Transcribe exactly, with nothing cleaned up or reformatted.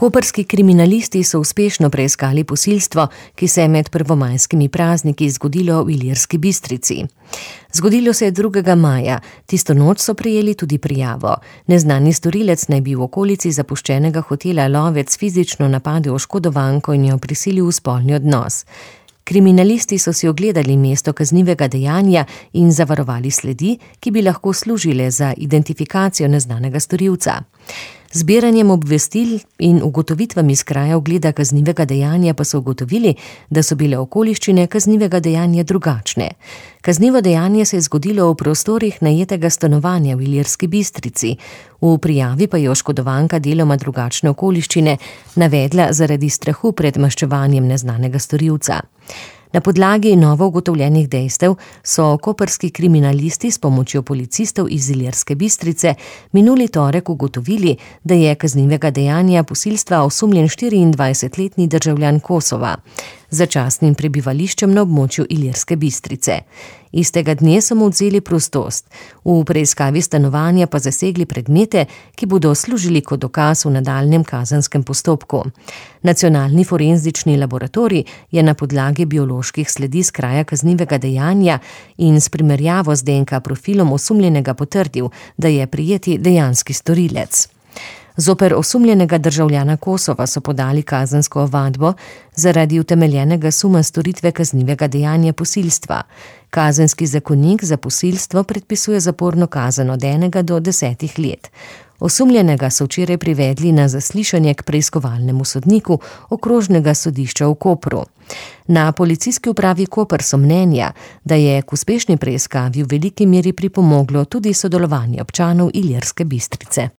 Koprski kriminalisti so uspešno preiskali posilstvo, ki se je med prvomajskimi prazniki zgodilo v Ilirski Bistrici. Zgodilo se je drugega maja, tisto noč so prejeli tudi prijavo. Neznani storilec naj bi v okolici zapuščenega hotela Lovec fizično napadel oškodovanko in jo prisilil v spolni odnos. Kriminalisti so si ogledali mesto kaznivega dejanja in zavarovali sledi, ki bi lahko služile za identifikacijo neznanega storilca. Zbiranjem obvestil in ugotovitvami z kraja ogleda kaznivega dejanja pa so ugotovili, da so bile okoliščine kaznivega dejanja drugačne. Kaznivo dejanje se je zgodilo v prostorih najetega stanovanja v Ilirski Bistrici. V prijavi pa je oškodovanka deloma drugačne okoliščine navedla zaradi strahu pred maščevanjem neznanega storilca. Na podlagi novo ugotovljenih dejstev so koprski kriminalisti s pomočjo policistov iz Ilirske Bistrice minuli torek ugotovili, da je kaznivega dejanja posilstva osumljen štiriindvajsetletni državljan Kosova z začasnim prebivališčem na območju Ilirske Bistrice. Istega dne so mu odvzeli prostost. V preiskavi stanovanja pa zasegli predmete, ki bodo služili kot dokaz v nadaljnjem kazenskem postopku. Nacionalni forenzični laboratorij je na podlagi bioloških sledi z kraja kaznivega dejanja in s primerjavo z D N K profilom osumljenega potrdil, da je prijeti dejanski storilec. Zoper osumljenega državljana Kosova so podali kazensko ovadbo zaradi utemeljenega suma storitve kaznivega dejanja posilstva. Kazenski zakonik za posilstvo predpisuje zaporno kazen od enega do desetih let. Osumljenega so včeraj privedli na zaslišanje k preiskovalnemu sodniku okrožnega sodišča v Kopru. Na policijski upravi Koper so mnenja, da je k uspešni preiskavi v veliki meri pripomoglo tudi sodelovanje občanov Ilirske Bistrice.